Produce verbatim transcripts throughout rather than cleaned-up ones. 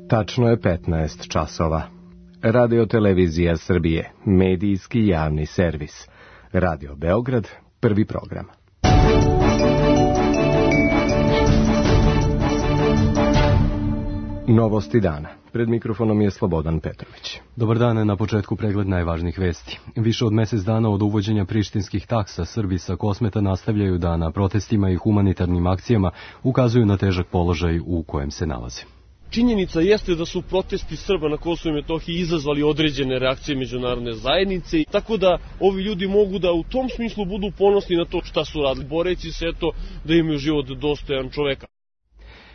Tačno je petnaest časova. Radio Televizija Srbije, medijski javni servis. Radio Beograd, prvi program. Novosti dana. Pred mikrofonom je Slobodan Petrović. Dobar dan, na početku pregled najvažnijih vesti. Više od mesec dana od uvođenja prištinskih taksa Srbi sa Kosmeta nastavljaju da na protestima i humanitarnim akcijama ukazuju na težak položaj u kojem se nalaze. Činjenica jeste da su protesti Srba na Kosovu i Metohiji izazvali određene reakcije međunarodne zajednice, tako da ovi ljudi mogu da u tom smislu budu ponosni na to šta su radili, boreći se eto da imaju život dostojan čoveka.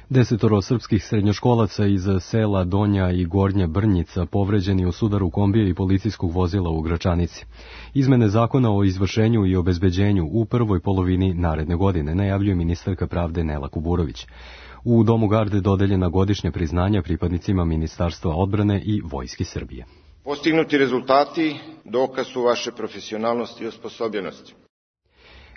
Desetoro srpskih srednjoškolaca iz sela Donja i Gornja Brnjica povređeni u sudaru kombija i policijskog vozila u Gračanici. Izmene zakona o izvršenju i obezbeđenju u prvoj polovini naredne godine, najavljuje ministarka pravde Nela Kuburović. U Domu garde dodeljena godišnja priznanja pripadnicima Ministarstva odbrane i Vojske Srbije. Postignuti rezultati dokaz su vaše profesionalnosti i osposobljenosti.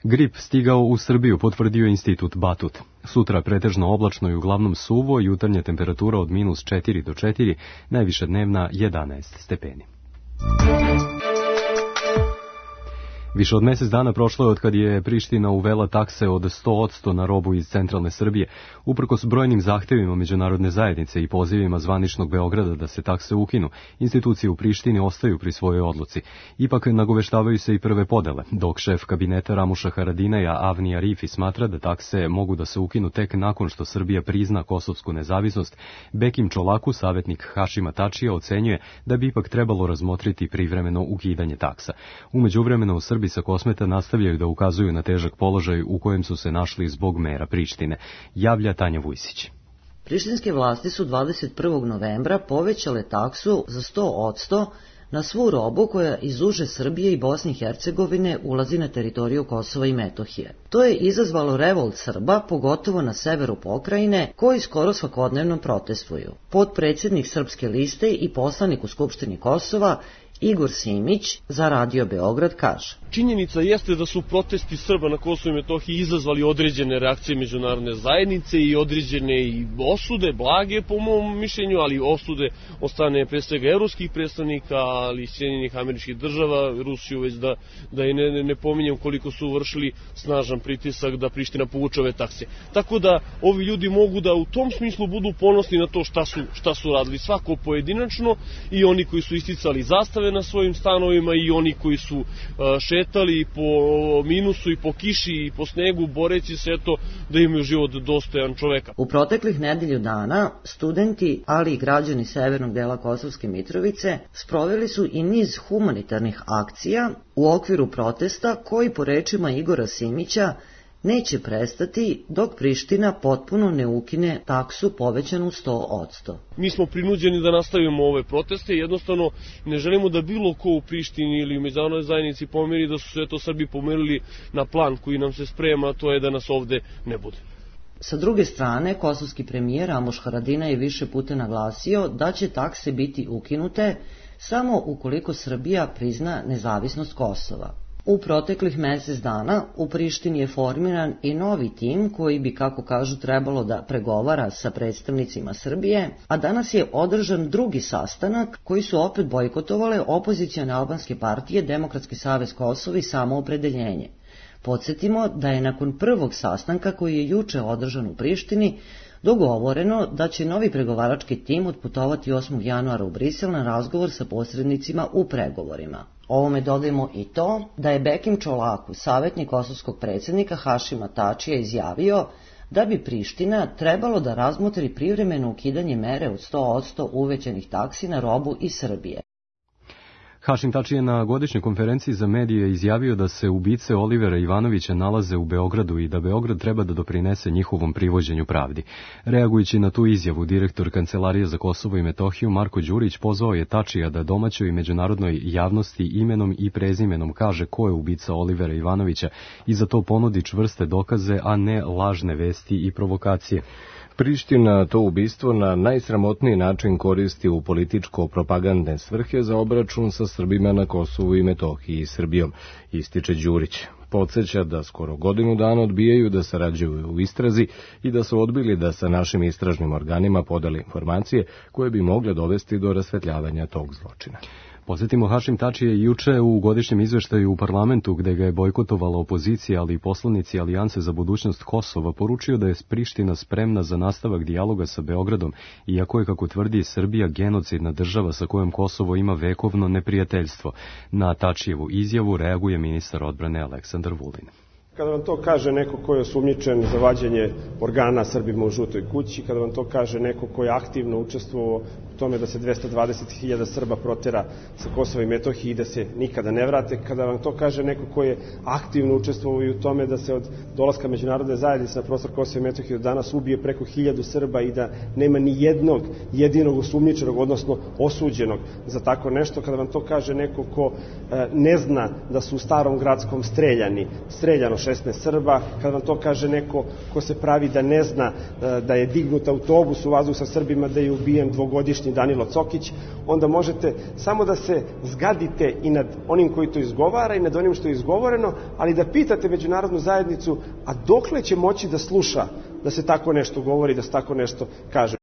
Grip stigao u Srbiju, potvrdio Institut Batut. Sutra pretežno oblačno i uglavnom suvo, jutarnja temperatura od minus četiri do četiri, najviša dnevna jedanaest stepeni. Više od mesec dana prošlo je od kad je Priština uvela takse od sto odsto na robu iz centralne Srbije, uprkos brojnim zahtevima međunarodne zajednice i pozivima zvaničnog Beograda da se takse ukinu. Institucije u Prištini ostaju pri svojoj odluci. Ipak nagoveštavaju se i prve podele, dok šef kabineta Ramuša Haradinaja Avni Arifi smatra da takse mogu da se ukinu tek nakon što Srbija prizna kosovsku nezavisnost. Bekim Čolaku, savjetnik Hašima Tačija, ocenjuje da bi ipak trebalo razmotriti privremeno ukidanje taksa. U međuvremenu u Srbiji sa Kosmeta nastavljaju da ukazuju na težak položaj u kojem su se našli zbog mera Prištine, javlja Tanja Vujsić. Prištinske vlasti su dvadeset prvog novembra povećale taksu za sto odsto na svu robu koja iz uže Srbije i Bosne i Hercegovine ulazi na teritoriju Kosova i Metohije. To je izazvalo revolt Srba, pogotovo na severu pokrajine, koji skoro svakodnevno protestuju. Potpredsjednik Srpske liste i poslanik u Skupštini Kosova Igor Simić za Radio Beograd kaže: Činjenica jeste da su protesti Srba na Kosovu i Metohiji izazvali određene reakcije međunarodne zajednice i određene i osude, blage po mom mišljenju, ali osude od strane pre svega evropskih predstavnika, ali i Sjedinjenih Američkih Država, Rusiju već da, da i ne, ne pominjem koliko su vršili snažan pritisak da Priština povuče ove takse. Tako da ovi ljudi mogu da u tom smislu budu ponosni na to šta su, šta su radili, svako pojedinačno, i oni koji su isticali zastave na svojim stanovima i oni koji su uh, šetali po minusu i po kiši i po snegu boreći se eto da imaju život dostojan čoveka. U proteklih nedelju dana studenti, ali i građani severnog dela Kosovske Mitrovice sproveli su i niz humanitarnih akcija u okviru protesta koji, po rečima Igora Simića, neće prestati dok Priština potpuno ne ukine taksu povećanu sto odsto. Mi smo prinuđeni da nastavimo ove proteste, jednostavno ne želimo da bilo ko u Prištini ili u međunarodnoj zajednici pomeri da su sve to Srbi pomerili na plan koji nam se sprema, a to je da nas ovde ne bude. Sa druge strane, kosovski premijer Ramuš Haradinaj je više puta naglasio da će takse biti ukinute samo ukoliko Srbija prizna nezavisnost Kosova. U proteklih mesec dana u Prištini je formiran i novi tim koji bi, kako kažu, trebalo da pregovara sa predstavnicima Srbije, a danas je održan drugi sastanak koji su opet bojkotovale opozicione albanske partije, Demokratski savez Kosova i Samoopredeljenje. Podsjetimo da je nakon prvog sastanka koji je juče održan u Prištini dogovoreno da će novi pregovarački tim otputovati osmog januara u Brisel na razgovor sa posrednicima u pregovorima. Ovome dodajemo i to da je Bekim Čolaku, savjetnik kosovskog predsjednika Hašima Tačija, izjavio da bi Priština trebalo da razmotri privremeno ukidanje mere od sto odsto uvećanih taksi na robu iz Srbije. Hašim Tači je na godišnjoj konferenciji za medije izjavio da se ubice Olivera Ivanovića nalaze u Beogradu i da Beograd treba da doprinese njihovom privođenju pravdi. Reagujući na tu izjavu, direktor Kancelarije za Kosovo i Metohiju Marko Đurić pozvao je Tačija da domaćoj i međunarodnoj javnosti imenom i prezimenom kaže ko je ubica Olivera Ivanovića i za to ponudi čvrste dokaze, a ne lažne vesti i provokacije. Priština to ubistvo na najsramotniji način koristi u političko-propagandne svrhe za obračun sa Srbima na Kosovu i Metohiji i Srbijom, ističe Đurić. Podsjeća da skoro godinu dana odbijaju da sarađuju u istrazi i da su odbili da sa našim istražnim organima podeli informacije koje bi mogle dovesti do rasvetljavanja tog zločina. Podsjetimo, Hašim Tači je juče u godišnjem izveštaju u parlamentu, gde ga je bojkotovala opozicija, ali i poslanici Alijance za budućnost Kosova, poručio da je Priština spremna za nastavak dijaloga sa Beogradom, iako je, kako tvrdi, Srbija genocidna država sa kojom Kosovo ima vekovno neprijateljstvo. Na Tačijevu izjavu reaguje ministar odbrane Aleksandar Vulin. Kada vam to kaže neko ko je osumnjičen za vađenje organa Srbima u žutoj kući, kada vam to kaže neko ko je aktivno učestvovao u tome da se dvesta dvadeset hiljada Srba protera sa Kosova i Metohije i da se nikada ne vrate, kada vam to kaže neko ko je aktivno učestvovao i u tome da se od dolaska međunarodne zajednice na prostor Kosova i Metohije do danas ubije preko hiljadu Srba i da nema ni jednog jedinog osumnjičenog, odnosno osuđenog za tako nešto, kada vam to kaže neko ko e, ne zna da su u Starom Gradskom streljani, streljano šesnaest Srba, kada vam to kaže neko ko se pravi da ne zna da je dignut autobus u vazduh sa Srbima, da je ubijen dvogodišnji Danilo Cokić, onda možete samo da se zgadite i nad onim koji to izgovara i nad onim što je izgovoreno, ali da pitate međunarodnu zajednicu, a dokle će moći da sluša da se tako nešto govori, da se tako nešto kaže.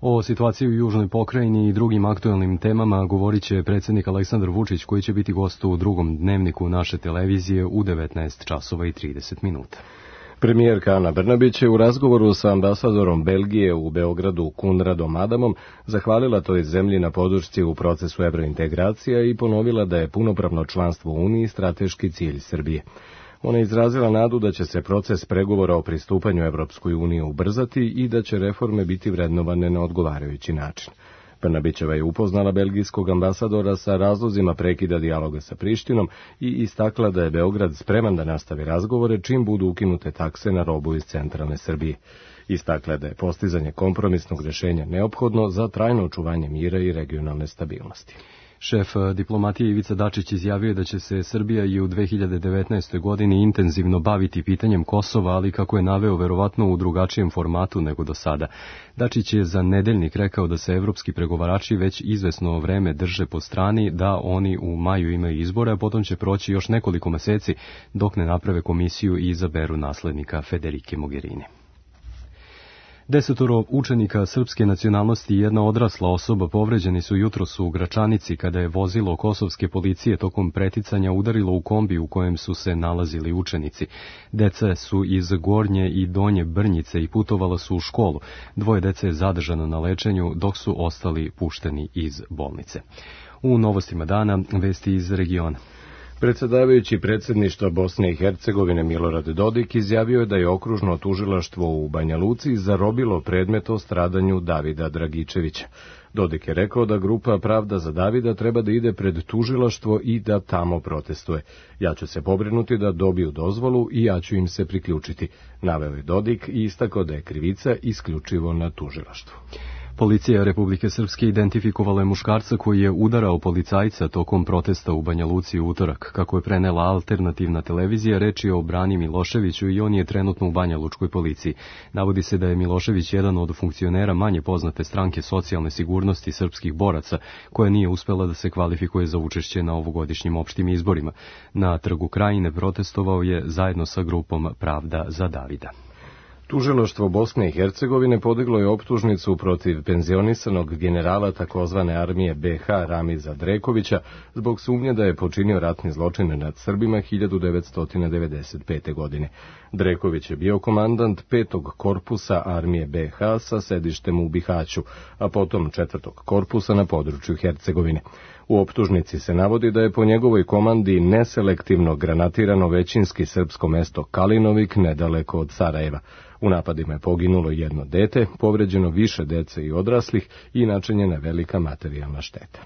O situaciji u Južnoj pokrajini i drugim aktuelnim temama govorit će predsjednik Aleksandar Vučić, koji će biti gost u drugom dnevniku naše televizije u devetnaest časova i trideset minuta. Premijerka Ana Brnabić je u razgovoru sa ambasadorom Belgije u Beogradu Kunradom Adamom zahvalila toj zemlji na podršci u procesu evrointegracija i ponovila da je punopravno članstvo u Uniji strateški cilj Srbije. Ona je izrazila nadu da će se proces pregovora o pristupanju Evropskoj uniji ubrzati i da će reforme biti vrednovane na odgovarajući način. Brnabićeva je upoznala belgijskog ambasadora sa razlozima prekida dijaloga sa Prištinom i istakla da je Beograd spreman da nastavi razgovore čim budu ukinute takse na robu iz centralne Srbije. Istakla da je postizanje kompromisnog rješenja neophodno za trajno očuvanje mira i regionalne stabilnosti. Šef diplomatije Ivica Dačić izjavio da će se Srbija i u dve hiljade devetnaestoj. godini intenzivno baviti pitanjem Kosova, ali kako je naveo verovatno u drugačijem formatu nego do sada. Dačić je za Nedeljnik rekao da se evropski pregovarači već izvesno vreme drže po strani, da oni u maju imaju izbore, a potom će proći još nekoliko meseci dok ne naprave komisiju i izaberu naslednika Federike Mogherini. Desetoro učenika srpske nacionalnosti i jedna odrasla osoba povređeni su jutros u Gračanici kada je vozilo kosovske policije tokom preticanja udarilo u kombi u kojem su se nalazili učenici. Deca su iz Gornje i Donje Brnjice i putovala su u školu. Dvoje dece je zadržano na lečenju, dok su ostali pušteni iz bolnice. U novostima dana vesti iz regiona. Predsjedavajući predsjedništva Bosne i Hercegovine Milorad Dodik izjavio je da je okružno tužilaštvo u Banja Luci zarobilo predmet o stradanju Davida Dragičevića. Dodik je rekao da grupa Pravda za Davida treba da ide pred tužilaštvo i da tamo protestuje. Ja ću se pobrinuti da dobiju dozvolu i ja ću im se priključiti, naveo je Dodik i istakao da je krivica isključivo na tužilaštvu. Policija Republike Srpske identifikovala je muškarca koji je udarao policajca tokom protesta u Banja Luci u utorak. Kako je prenela alternativna televizija, reč je o Brani Miloševiću i on je trenutno u Banja Lučkoj policiji. Navodi se da je Milošević jedan od funkcionera manje poznate stranke socijalne sigurnosti srpskih boraca, koja nije uspela da se kvalifikuje za učešće na ovogodišnjim opštim izborima. Na Trgu Krajine protestovao je zajedno sa grupom Pravda za Davida. Tužilaštvo Bosne i Hercegovine podiglo je optužnicu protiv penzionisanog generala takozvane armije be ha Ramiza Drekovića zbog sumnje da je počinio ratni zločin nad Srbima hiljadu devetsto devedeset pete. godine. Dreković je bio komandant petog korpusa armije be ha sa sedištem u Bihaću, a potom četvrtog korpusa na području Hercegovine. U optužnici se navodi da je po njegovoj komandi neselektivno granatirano većinski srpsko mesto Kalinovik nedaleko od Sarajeva. U napadima je poginulo jedno dete, povređeno više dece i odraslih i načinjena velika materijalna šteta.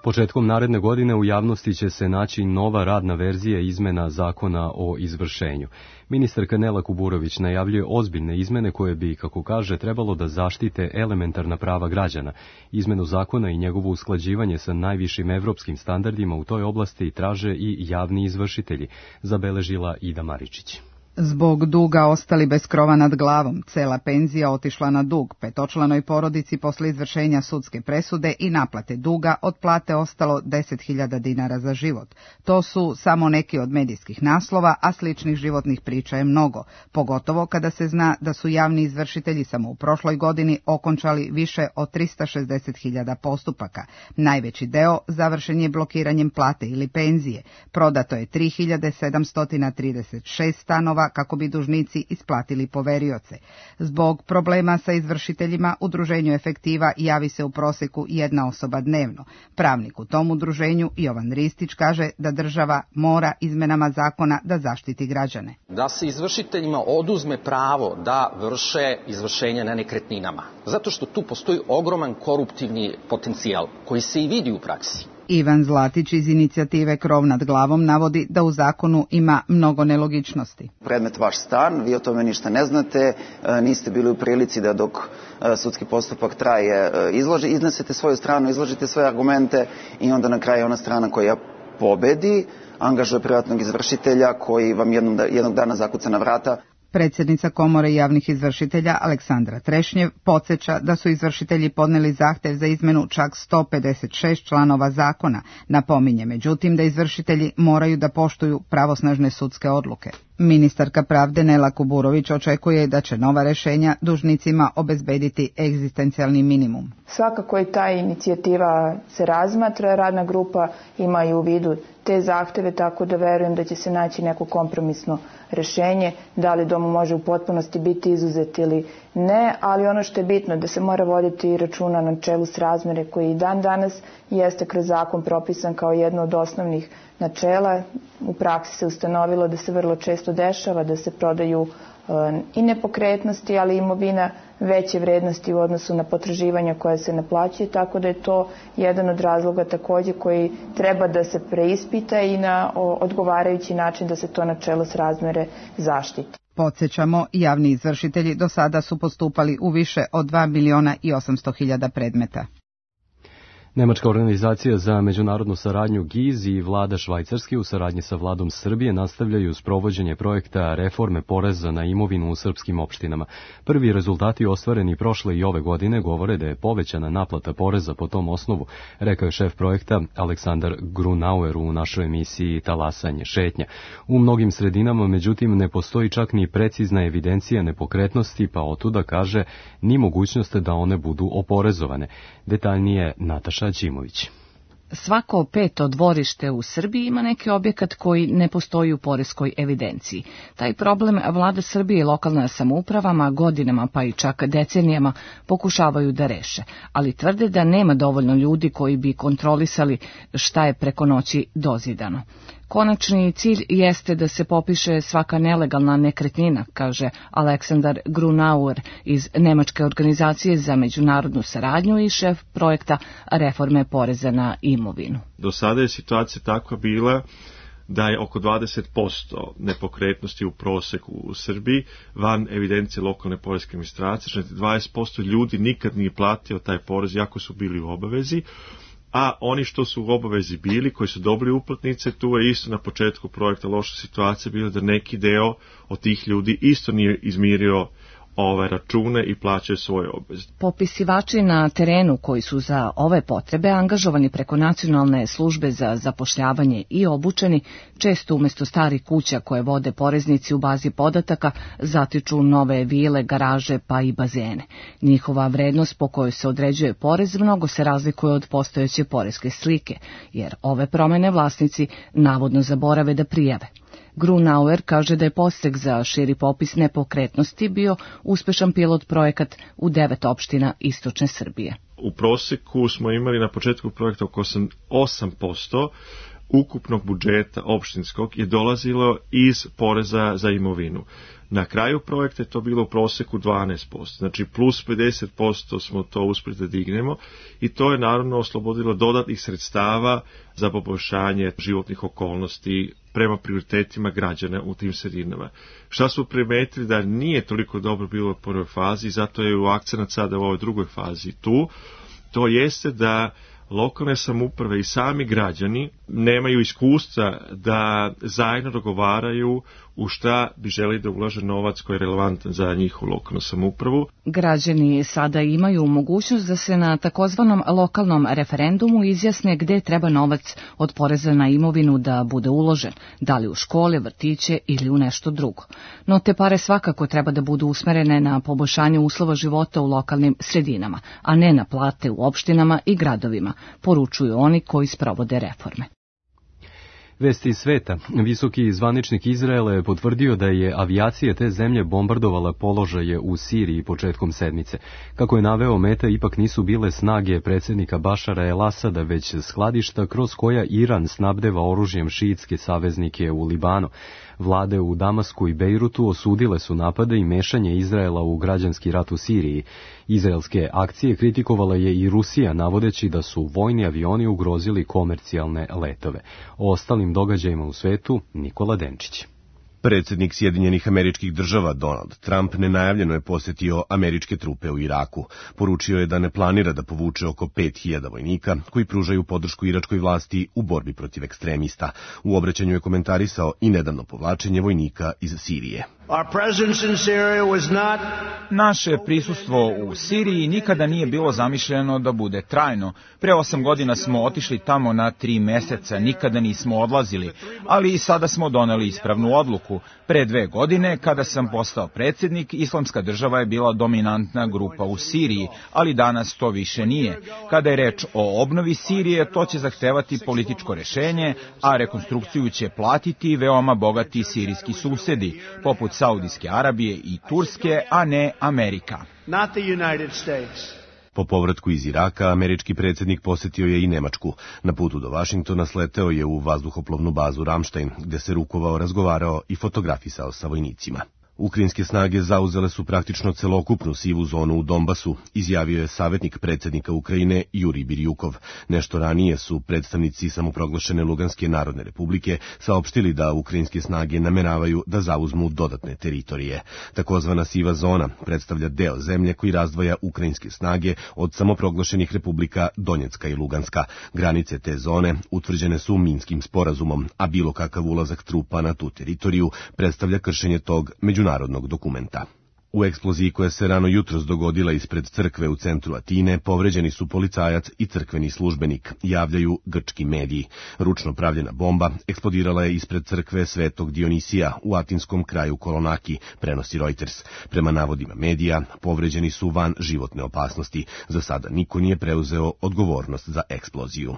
Početkom naredne godine u javnosti će se naći nova radna verzija izmena zakona o izvršenju. Ministarka Nela Kuburović najavljuje ozbiljne izmene koje bi, kako kaže, trebalo da zaštite elementarna prava građana. Izmenu zakona i njegovo usklađivanje sa najvišim evropskim standardima u toj oblasti traže i javni izvršitelji, zabeležila Ida Maričić. Zbog duga ostali bez krova nad glavom, cela penzija otišla na dug, petočlanoj porodici posle izvršenja sudske presude i naplate duga od plate ostalo deset hiljada dinara za život. To su samo neki od medijskih naslova, a sličnih životnih priča je mnogo, pogotovo kada se zna da su javni izvršitelji samo u prošloj godini okončali više od trista šezdeset hiljada postupaka. Najveći deo završen je blokiranjem plate ili penzije. Prodato je tri hiljade sedamsto trideset šest stanova kako bi dužnici isplatili poverioce. Zbog problema sa izvršiteljima, udruženju Efektiva javi se u proseku jedna osoba dnevno. Pravnik u tom udruženju, Jovan Ristić, kaže da država mora izmenama zakona da zaštiti građane. Da se izvršiteljima oduzme pravo da vrše izvršenje na nekretninama, zato što tu postoji ogroman koruptivni potencijal koji se i vidi u praksi. Ivan Zlatić iz inicijative Krov nad glavom navodi da u zakonu ima mnogo nelogičnosti. Predmet vaš stan, vi o tome ništa ne znate, niste bili u prilici da dok sudski postupak traje izloži, iznesete svoju stranu, izložite svoje argumente i onda na kraju ona strana koja pobedi angažuje privatnog izvršitelja koji vam jednog, jednog dana zakuca na vrata. Predsjednica Komore javnih izvršitelja Aleksandra Trešnjev podsjeća da su izvršitelji podneli zahtev za izmenu čak sto pedeset šest članova zakona. Napominje međutim da izvršitelji moraju da poštuju pravosnažne sudske odluke. Ministarka pravde Nela Kuburović očekuje da će nova rešenja dužnicima obezbediti egzistencijalni minimum. Svakako i ta inicijativa se razmatra, radna grupa ima i u vidu te zahteve, tako da verujem da će se naći neko kompromisno rešenje, da li dom može u potpunosti biti izuzet ili ne, ali ono što je bitno da se mora voditi računa na načelu srazmere koji i dan danas jeste kroz zakon propisan kao jedno od osnovnih načela. U praksi se ustanovilo da se vrlo često dešava da se prodaju i nepokretnosti, ali i imovina veće vrednosti u odnosu na potraživanja koja se naplaćuje, tako da je to jedan od razloga također koji treba da se preispita i na odgovarajući način da se to načelo srazmere zaštiti. Podsjećamo, javni izvršitelji do sada su postupali u više od dva miliona i osamsto hiljada predmeta. Nemačka organizacija za međunarodnu saradnju G I Z i vlada Švajcarske u saradnji sa vladom Srbije nastavljaju sprovođenje projekta reforme poreza na imovinu u srpskim opštinama. Prvi rezultati ostvareni prošle i ove godine govore da je povećana naplata poreza po tom osnovu, rekao je šef projekta Aleksandar Grunauer u našoj emisiji Talasanje šetnja. U mnogim sredinama, međutim, ne postoji čak ni precizna evidencija nepokretnosti, pa otuda kaže ni mogućnost da one budu oporezovane. Detaljnije Nataša Đimović. Svako peto dvorište u Srbiji ima neki objekat koji ne postoji u poreskoj evidenciji. Taj problem vlada Srbije i lokalna samoupravama godinama pa i čak decenijama pokušavaju da reše, ali tvrde da nema dovoljno ljudi koji bi kontrolisali šta je preko noći dozidano. Konačni cilj jeste da se popiše svaka nelegalna nekretnina, kaže Aleksandar Grunauer iz Nemačke organizacije za međunarodnu saradnju i šef projekta reforme poreza na imovinu. Do sada je situacija takva bila da je oko dvadeset posto nepokretnosti u proseku u Srbiji van evidencije lokalne poreske administracije, znači dvadeset posto ljudi nikad nije platio taj porez, iako su bili u obavezi. A oni što su u obavezi bili, koji su dobili uplatnice, tu je isto na početku projekta loša situacija bila da neki deo od tih ljudi isto nije izmirio ove račune i plaćaju svoje obveze. Popisivači na terenu koji su za ove potrebe angažovani preko nacionalne službe za zapošljavanje i obučeni, često umjesto starih kuća koje vode poreznici u bazi podataka, zatiču nove vile, garaže pa i bazene. Njihova vrednost po kojoj se određuje porez mnogo se razlikuje od postojeće poreske slike, jer ove promene vlasnici navodno zaborave da prijave. Grunauer kaže da je postrek za širi popis nepokretnosti bio uspešan pilot projekat u devet opština istočne Srbije. U proseku smo imali na početku projekta oko osam posto ukupnog budžeta opštinskog je dolazilo iz poreza za imovinu. Na kraju projekta je to bilo u proseku dvanaest posto, znači plus pedeset posto smo to uspjeli da dignemo i to je naravno oslobodilo dodatnih sredstava za poboljšanje životnih okolnosti prema prioritetima građana u tim sredinama. Šta smo primetili da nije toliko dobro bilo u prvoj fazi, zato je u akcenat sada u ovoj drugoj fazi tu, to jeste da lokalne samouprave i sami građani nemaju iskustva da zajedno dogovaraju u šta bi želi da ulaže novac koji je relevantan za njihovu lokalnu samoupravu. Građani sada imaju mogućnost da se na takozvanom lokalnom referendumu izjasne gde treba novac od poreza na imovinu da bude uložen, da li u škole, vrtiće ili u nešto drugo. No te pare svakako treba da budu usmerene na poboljšanje uslova života u lokalnim sredinama, a ne na plate u opštinama i gradovima, poručuju oni koji sprovode reforme. Vesti iz sveta. Visoki zvaničnik Izraela je potvrdio da je avijacija te zemlje bombardovala položaje u Siriji početkom sedmice. Kako je naveo, meta ipak nisu bile snage predsjednika Bašara el-Asada, već skladišta kroz koja Iran snabdeva oružjem šiitske saveznike u Libanu. Vlade u Damasku i Bejrutu osudile su napade i mešanje Izraela u građanski rat u Siriji. Izraelske akcije kritikovala je i Rusija, navodeći da su vojni avioni ugrozili komercijalne letove. O ostalim događajima u svetu Nikola Denčić. Predsjednik Sjedinjenih Američkih Država Donald Trump nenajavljeno je posjetio američke trupe u Iraku. Poručio je da ne planira da povuče oko pet hiljada vojnika koji pružaju podršku iračkoj vlasti u borbi protiv ekstremista. U obraćanju je komentarisao i nedavno povlačenje vojnika iz Sirije. Naše prisustvo u Siriji nikada nije bilo zamišljeno da bude trajno. Pre osam godina smo otišli tamo na tri meseca, nikada nismo odlazili, ali i sada smo doneli ispravnu odluku. Pre dve godine, kada sam postao predsjednik, Islamska država je bila dominantna grupa u Siriji, ali danas to više nije. Kada je reč o obnovi Sirije, to će zahtevati političko rešenje, a rekonstrukciju će platiti veoma bogati sirijski susedi, poput Saudijske Arabije i Turske, a ne Amerika. Po povratku iz Iraka, američki predsjednik posjetio je i Nemačku. Na putu do Vašingtona sleteo je u vazduhoplovnu bazu Ramstein, gde se rukovao, razgovarao i fotografisao sa vojnicima. Ukrajinske snage zauzele su praktično celokupnu sivu zonu u Donbasu, izjavio je savjetnik predsjednika Ukrajine Jurij Birjukov. Nešto ranije su predstavnici samoproglašene Luganske narodne republike saopštili da ukrajinske snage nameravaju da zauzmu dodatne teritorije. Takozvana siva zona predstavlja deo zemlje koji razdvaja ukrajinske snage od samoproglašenih republika Donjecka i Luganska. Granice te zone utvrđene su Minskim sporazumom, a bilo kakav ulazak trupa na tu teritoriju predstavlja kršenje tog međunarodnog narodnog dokumenta. U eksploziji koja se rano jutros dogodila ispred crkve u centru Atine povređeni su policajac i crkveni službenik, javljaju grčki mediji. Ručno pravljena bomba eksplodirala je ispred crkve Svetog Dionisija u atinskom kraju Kolonaki, prenosi Reuters. Prema navodima medija, povređeni su van životne opasnosti. Za sada niko nije preuzeo odgovornost za eksploziju.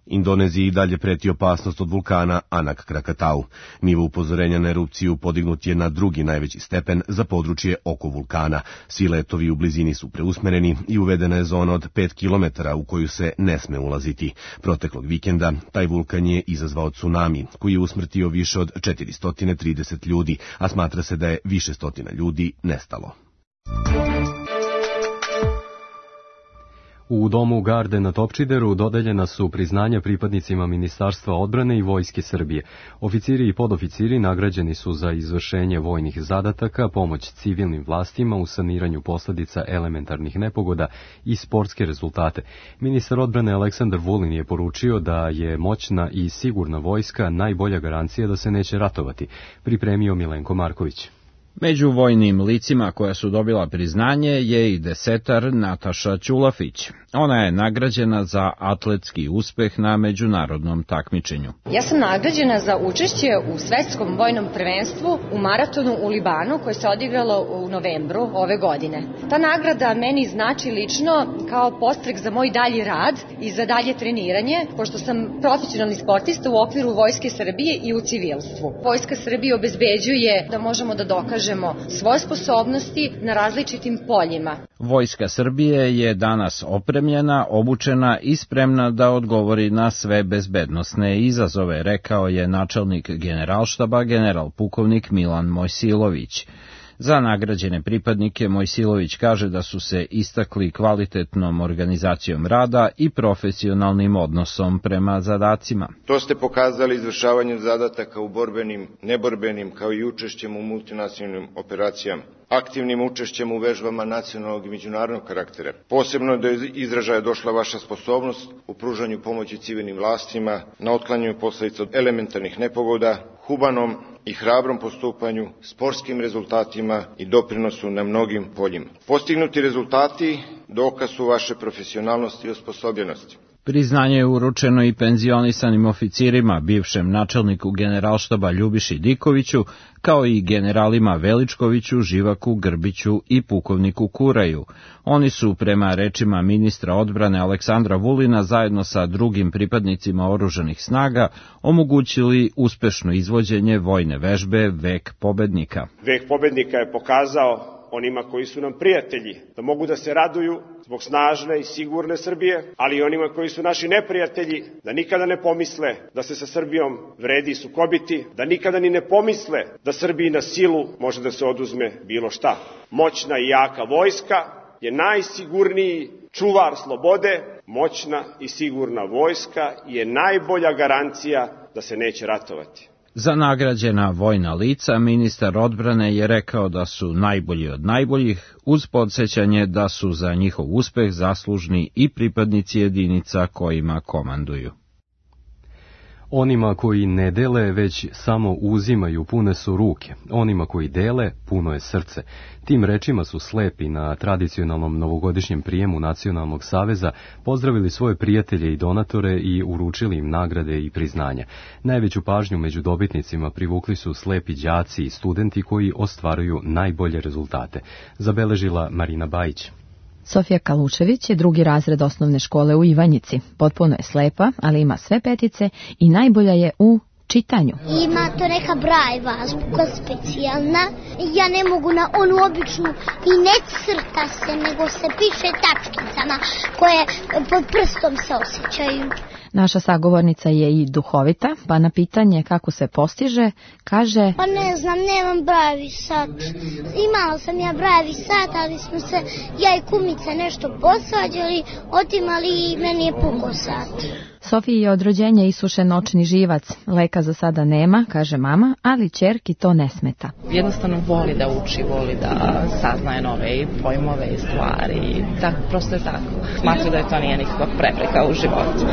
Indoneziji dalje preti opasnost od vulkana Anak Krakatau. Nivo upozorenja na erupciju podignut je na drugi najveći stepen za područje oko vulkana. Svi letovi u blizini su preusmereni i uvedena je zona od pet kilometara u koju se ne sme ulaziti. Proteklog vikenda taj vulkan je izazvao tsunami, koji je usmrtio više od četiristo trideset ljudi, a smatra se da je više stotina ljudi nestalo. U domu Garde na Topčideru dodeljena su priznanja pripadnicima Ministarstva odbrane i Vojske Srbije. Oficiri i podoficiri nagrađeni su za izvršenje vojnih zadataka, pomoć civilnim vlastima u saniranju posljedica elementarnih nepogoda i sportske rezultate. Ministar odbrane Aleksandar Vulin je poručio da je moćna i sigurna vojska najbolja garancija da se neće ratovati, pripremio Milenko Marković. Među vojnim licima koja su dobila priznanje je i desetar Nataša Ćulafić. Ona je nagrađena za atletski uspeh na međunarodnom takmičenju. Ja sam nagrađena za učešće u svetskom vojnom prvenstvu u maratonu u Libanu koje se odigralo u novembru ove godine. Ta nagrada meni znači lično kao podstrek za moj dalji rad i za dalje treniranje, pošto sam profesionalni sportista u okviru Vojske Srbije i u civilstvu. Vojska Srbije obezbeđuje da možemo da dokažemo svoje sposobnosti na različitim poljima. Vojska Srbije je danas opremljena, obučena i spremna da odgovori na sve bezbednosne izazove, rekao je načelnik generalštaba general pukovnik Milan Mojsilović. Za nagrađene pripadnike Mojsilović kaže da su se istakli kvalitetnom organizacijom rada i profesionalnim odnosom prema zadacima. To ste pokazali izvršavanjem zadataka u borbenim, neborbenim, kao i učešćem u multinacionalnim operacijama, aktivnim učešćem u vežbama nacionalnog i međunarodnog karaktera. Posebno do izražaja došla vaša sposobnost u pružanju pomoći civilnim vlastima, na otklanjanju posledica od elementarnih nepogoda, humanom i hrabrom postupanju, sportskim rezultatima i doprinosu na mnogim poljima. Postignuti rezultati dokaz su vaše profesionalnosti i osposobljenosti. Priznanje je uručeno i penzionisanim oficirima, bivšem načelniku Generalštaba Ljubiši Dikoviću, kao i generalima Veličkoviću, Živaku, Grbiću i pukovniku Kuraju. Oni su, prema rečima ministra odbrane Aleksandra Vulina, zajedno sa drugim pripadnicima oružanih snaga, omogućili uspešno izvođenje vojne vežbe Vek pobednika. Vek pobednika je pokazao onima koji su nam prijatelji, da mogu da se raduju zbog snažne i sigurne Srbije, ali i onima koji su naši neprijatelji, da nikada ne pomisle da se sa Srbijom vredi sukobiti, da nikada ni ne pomisle da Srbiji na silu može da se oduzme bilo šta. Moćna i jaka vojska je najsigurniji čuvar slobode, moćna i sigurna vojska je najbolja garancija da se neće ratovati. Za nagrađena vojna lica ministar odbrane je rekao da su najbolji od najboljih, uz podsjećanje da su za njihov uspeh zaslužni i pripadnici jedinica kojima komanduju. Onima koji ne dele, već samo uzimaju, pune su ruke. Onima koji dele, puno je srce. Tim rečima su slepi na tradicionalnom novogodišnjem prijemu Nacionalnog saveza pozdravili svoje prijatelje i donatore i uručili im nagrade i priznanja. Najveću pažnju među dobitnicima privukli su slepi đaci i studenti koji ostvaruju najbolje rezultate. Zabeležila Marina Bajić. Sofija Kalučević je drugi razred osnovne škole u Ivanjici. Potpuno je slepa, ali ima sve petice i najbolja je u čitanju. Ima to neka Brajeva azbuka specijalna. Ja ne mogu na onu običnu i ne crta se, nego se piše tačkicama koje pod prstom se osjećaju. Naša sagovornica je i duhovita, pa na pitanje kako se postiže, kaže: Pa ne znam, nemam Brajevi sat. Imala sam ja Brajevi sat, ali smo se, ja i kumica, nešto posvađali, otimali i meni je pukao sat. Sofiji je od rođenja isušen očni živac. Leka za sada nema, kaže mama, ali ćerki to ne smeta. Jednostavno voli da uči, voli da saznaje nove pojmove i stvari. Tak, prosto je tako. Smatra da je to nije nikakva prepreka u životu.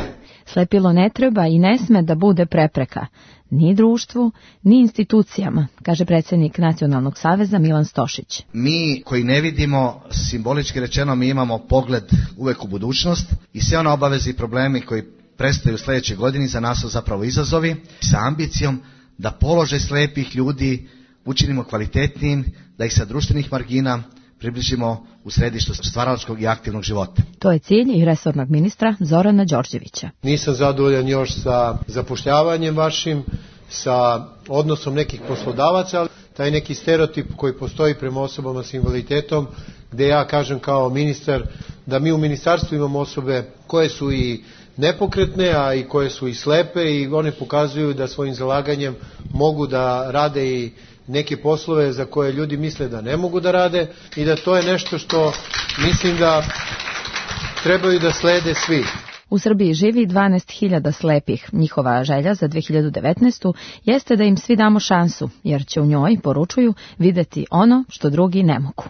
Slepilo ne treba i ne sme da bude prepreka, ni društvu, ni institucijama, kaže predsjednik Nacionalnog saveza Milan Stošić. Mi koji ne vidimo, simbolički rečeno, mi imamo pogled uvek u budućnost i sve one obaveze i problemi koji predstoje u sljedećoj godini za nas su zapravo izazovi sa ambicijom da položaj slepih ljudi učinimo kvalitetnijim, da ih sa društvenih margina približimo u središtu stvaralačkog i aktivnog života. To je cilj i resornog ministra Zorana Đorđevića. Nisam zadovoljan još sa zapošljavanjem vašim, sa odnosom nekih poslodavaca, ali taj neki stereotip koji postoji prema osobama s invaliditetom, gde ja kažem kao ministar da mi u ministarstvu imamo osobe koje su i nepokretne, a i koje su i slepe i one pokazuju da svojim zalaganjem mogu da rade i neke poslove za koje ljudi misle da ne mogu da rade i da to je nešto što mislim da trebaju da slede svi. U Srbiji živi dvanaest hiljada slepih. Njihova želja za dve hiljade devetnaestu. jeste da im svi damo šansu, jer će u njoj, poručuju, videti ono što drugi ne mogu.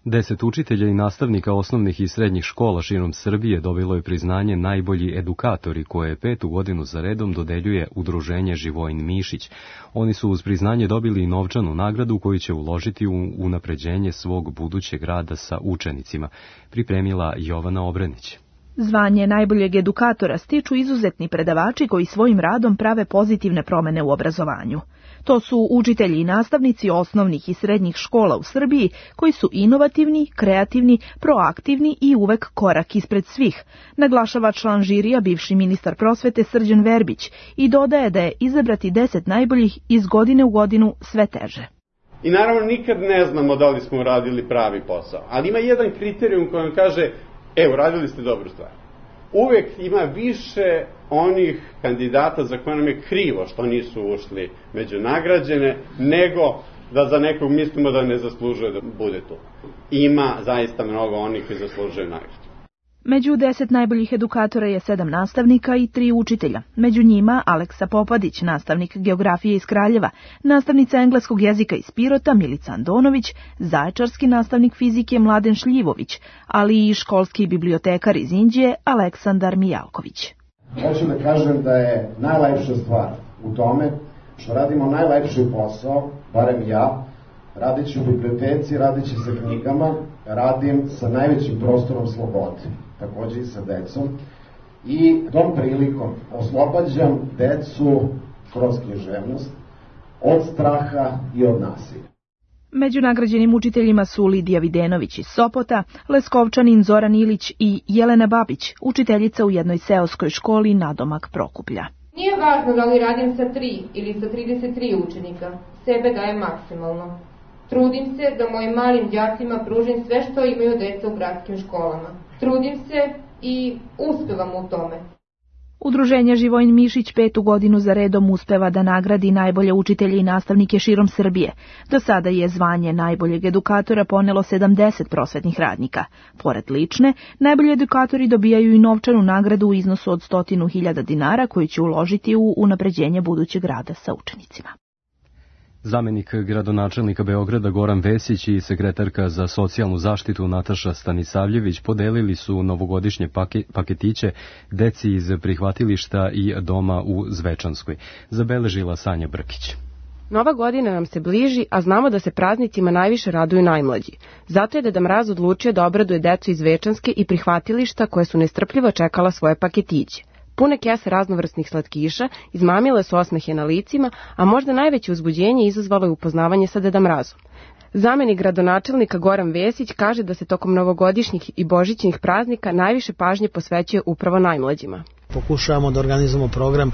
Deset učitelja i nastavnika osnovnih i srednjih škola širom Srbije dobilo je priznanje najbolji edukatori koje petu godinu za redom dodeljuje udruženje Živojin Mišić. Oni su uz priznanje dobili i novčanu nagradu koju će uložiti u unapređenje svog budućeg rada sa učenicima, pripremila Jovana Obrenić. Zvanje najboljeg edukatora stiču izuzetni predavači koji svojim radom prave pozitivne promene u obrazovanju. To su učitelji i nastavnici osnovnih i srednjih škola u Srbiji koji su inovativni, kreativni, proaktivni i uvek korak ispred svih, naglašava član žirija bivši ministar prosvete Srđan Verbić i dodaje da je izabrati deset najboljih iz godine u godinu sve teže. I naravno nikad ne znamo da li smo uradili pravi posao, ali ima jedan kriterijum koji vam kaže: evo, radili ste dobru stvar. Uvek ima više onih kandidata za koje nam je krivo što nisu ušli među nagrađene, nego da za nekog mislimo da ne zaslužuje da bude tu. Ima zaista mnogo onih koji zaslužuju nagradu. Među deset najboljih edukatora je sedam nastavnika i tri učitelja. Među njima Aleksa Popadić, nastavnik geografije iz Kraljeva, nastavnica engleskog jezika iz Pirota Milica Andonović, zaječarski nastavnik fizike Mladen Šljivović, ali i školski bibliotekar iz Inđije Aleksandar Mijalković. Hoću da kažem da je najlepša stvar u tome što radimo najlepši posao, barem ja, radeći u biblioteci, radeći sa knjigama, radim sa najvećim prostorom slobode, takođe i sa decom, i tom prilikom oslobađam decu kroz književnost od straha i od nasilja. Među nagrađenim učiteljima su Lidija Videnović iz Sopota, Leskovčanin Zoran Ilić i Jelena Babić, učiteljica u jednoj seoskoj školi nadomak Prokuplja. Nije važno da li radim sa tri ili sa trideset tri učenika, sebe dajem maksimalno. Trudim se da mojim malim đacima pružim sve što imaju deca u gradskim školama. Trudim se i uspevam u tome. Udruženje Živojin Mišić petu godinu za redom uspeva da nagradi najbolje učitelje i nastavnike širom Srbije. Do sada je zvanje najboljeg edukatora ponelo sedamdeset prosvetnih radnika. Pored lične, najbolji edukatori dobijaju i novčanu nagradu u iznosu od stotinu hiljada dinara koju će uložiti u unapređenje budućeg rada sa učenicima. Zamenik gradonačelnika Beograda Goran Vesić i sekretarka za socijalnu zaštitu Nataša Stanisavljević podelili su novogodišnje paketiće deci iz prihvatilišta i doma u Zvečanskoj. Zabeležila Sanja Brkić. Nova godina nam se bliži, a znamo da se praznicima najviše raduju najmlađi. Zato je Deda Mraz odlučio da obraduje decu iz Zvečanske i prihvatilišta koje su nestrpljivo čekala svoje paketiće. Pune kese raznovrsnih slatkiša izmamile su osmehe na licima, a možda najveće uzbuđenje izazvalo je upoznavanje sa Deda Mrazom. Zamenik gradonačelnika Goran Vesić kaže da se tokom novogodišnjih i božićnih praznika najviše pažnje posvećuje upravo najmlađima. Pokušavamo da organizujemo program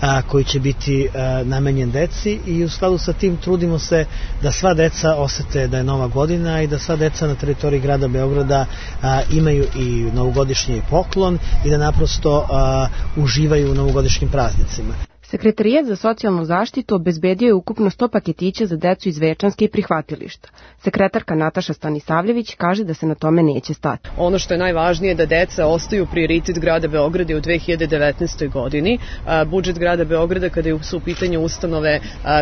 a, koji će biti a, namenjen deci i u skladu sa tim trudimo se da sva deca osete da je nova godina i da sva deca na teritoriji grada Beograda a, imaju i novogodišnji poklon i da naprosto a, uživaju u novogodišnjim praznicima. Sekretarijat za socijalnu zaštitu obezbedio je ukupno sto paketića za decu iz Zvečanske i prihvatilišta. Sekretarka Nataša Stanisavljević kaže da se na tome neće stati. Ono što je najvažnije je da deca ostaju prioritet grada Beograda u dve hiljade devetnaestoj godini. Budžet grada Beograda kada su u pitanju ustanove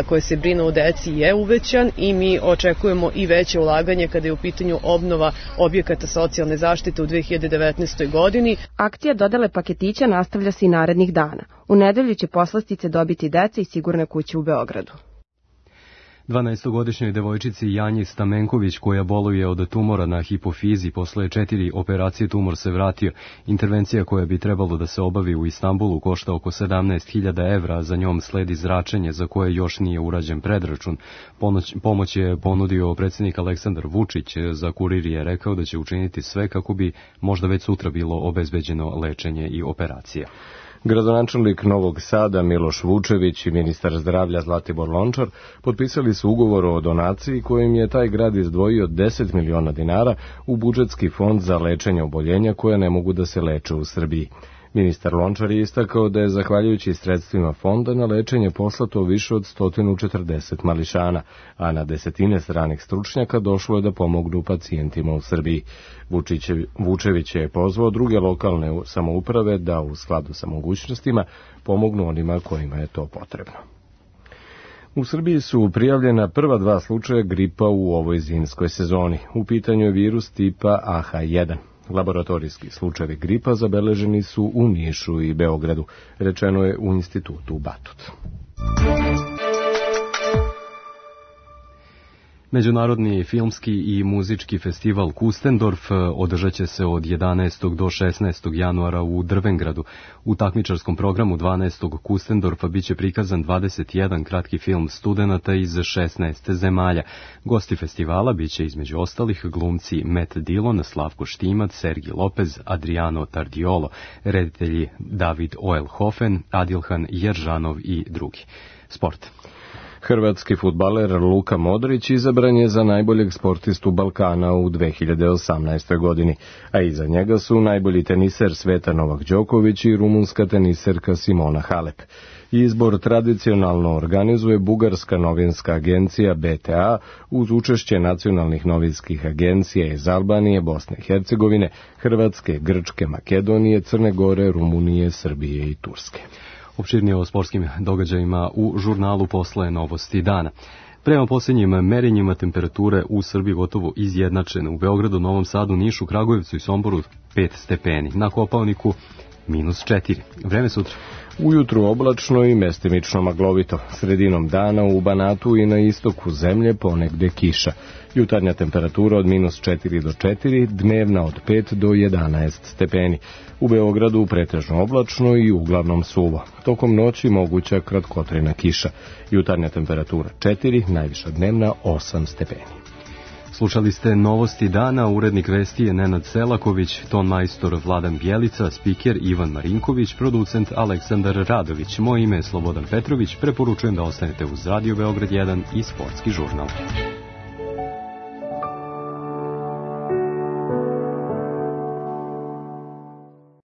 koje se brinu o deci je uvećan i mi očekujemo i veće ulaganje kada je u pitanju obnova objekata socijalne zaštite u dve hiljade devetnaestoj godini. Akcija dodele paketića nastavlja se i narednih dana. U nedelju će poslastice dobiti deca i sigurne kuće u Beogradu. dvanaestogodišnjoj devojčici Janji Stamenković, koja boluje od tumora na hipofizi, posle četiri operacije tumor se vratio. Intervencija koja bi trebalo da se obavi u Istanbulu košta oko sedamnaest hiljada evra, a za njom sledi zračenje za koje još nije urađen predračun. Pomoć, pomoć je ponudio predsjednik Aleksandar Vučić. Za Kurir je rekao da će učiniti sve kako bi možda već sutra bilo obezbeđeno lečenje i operacija. Gradonačelnik Novog Sada Miloš Vučević i ministar zdravlja Zlatibor Lončar potpisali su ugovor o donaciji kojim je taj grad izdvojio deset miliona dinara u budžetski fond za lečenje oboljenja koja ne mogu da se leče u Srbiji. Ministar Lončar je istakao da je zahvaljujući sredstvima fonda na lečenje poslato više od sto četrdeset mališana, a na desetine stranih stručnjaka došlo je da pomognu pacijentima u Srbiji. Vučević je pozvao druge lokalne samouprave da u skladu sa mogućnostima pomognu onima kojima je to potrebno. U Srbiji su prijavljena prva dva slučaja gripa u ovoj zimskoj sezoni. U pitanju je virus tipa A H jedan. Laboratorijski slučajevi gripa zabeleženi su u Nišu i Beogradu, rečeno je u institutu Batut. Međunarodni filmski i muzički festival Kustendorf održat će se od jedanaestog do šesnaestog januara u Drvengradu. U takmičarskom programu dvanaestog Kustendorfa biće prikazan dvadeset jedan kratki film studenata iz šesnaest zemalja. Gosti festivala biće između ostalih glumci Matt Dillon, Slavko Štimac, Sergi Lopez, Adriano Tardiolo, reditelji David Oelhofen, Adilhan Jeržanov i drugi. Sport. Hrvatski fudbaler Luka Modrić izabran je za najboljeg sportistu Balkana u dve hiljade osamnaestoj godini, a iza njega su najbolji teniser sveta Novak Đoković i rumunska teniserka Simona Halep. Izbor tradicionalno organizuje bugarska novinska agencija B T A uz učešće nacionalnih novinskih agencija iz Albanije, Bosne i Hercegovine, Hrvatske, Grčke, Makedonije, Crne Gore, Rumunije, Srbije i Turske. Opširnije o sportskim događajima u žurnalu Posle novosti dana. Prema posljednjim merenjima temperature u Srbiji gotovo izjednačene. U Beogradu, Novom Sadu, Nišu, Kragujevcu i Somboru pet stepeni. Na Kopaoniku minus četiri. Vreme sutra. Ujutru oblačno i mestimično maglovito. Sredinom dana u Banatu i na istoku zemlje ponegde kiša. Jutarnja temperatura od minus četiri do četiri, dnevna od pet do jedanaest stepeni. U Beogradu pretežno oblačno i uglavnom suvo. Tokom noći moguća kratkotrajna kiša. Jutarnja temperatura četiri, najviša dnevna osam stepeni. Slušali ste Novosti dana, urednik vesti je Nenad Selaković, ton majstor Vladan Bjelica, spiker Ivan Marinković, producent Aleksandar Radović. Moje ime je Slobodan Petrović, preporučujem da ostanete uz Radio Beograd jedan i Sportski žurnal.